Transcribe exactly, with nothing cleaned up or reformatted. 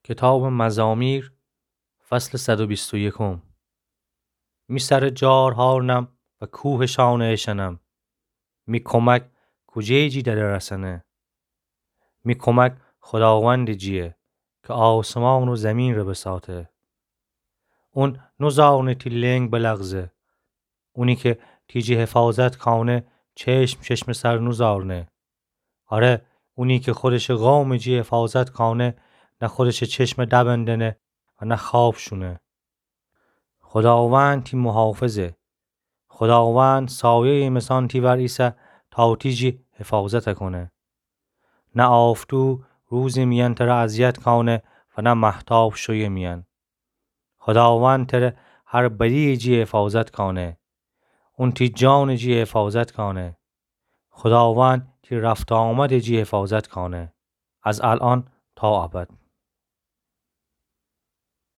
کتابٚ مزامیر، فصلٚ صد و بیست و یکم. می سرٚ جار هارنم و کوهشانه اشأنم. می کمک کوجه‌یٚ جی دره رسأنه؟ می کمک خوداوندٚ جییه کی آسمان و زیمینٚ ره بساطه. اون نوزارنه تی لنگ بلغزه. اونی کی تی جی حفاظت کانه، چشم چشمٚ سر نوزارنه. آره، اونی کی خودشٚ قومٚ جی حفاظت کانه، نه خودشٚ چشم دبندأنه و نه خواب شونه. خوداوند تی محافظه. خوداوند سایه‌یٚ مثان تی ور ایسه تا تی جی حفاظت کونه. نه آفتو روزٚ میأن تره اذیت کانه و نه مهتاب شویٚ میأن. خوداوند تره هر بدییٚ جی حفاظت کانه. اون تی جانٚ جی حفاظت کانه. خوداوند تی رفت و آمدٚ جی حفاظت کانه، از الأن تا ابد.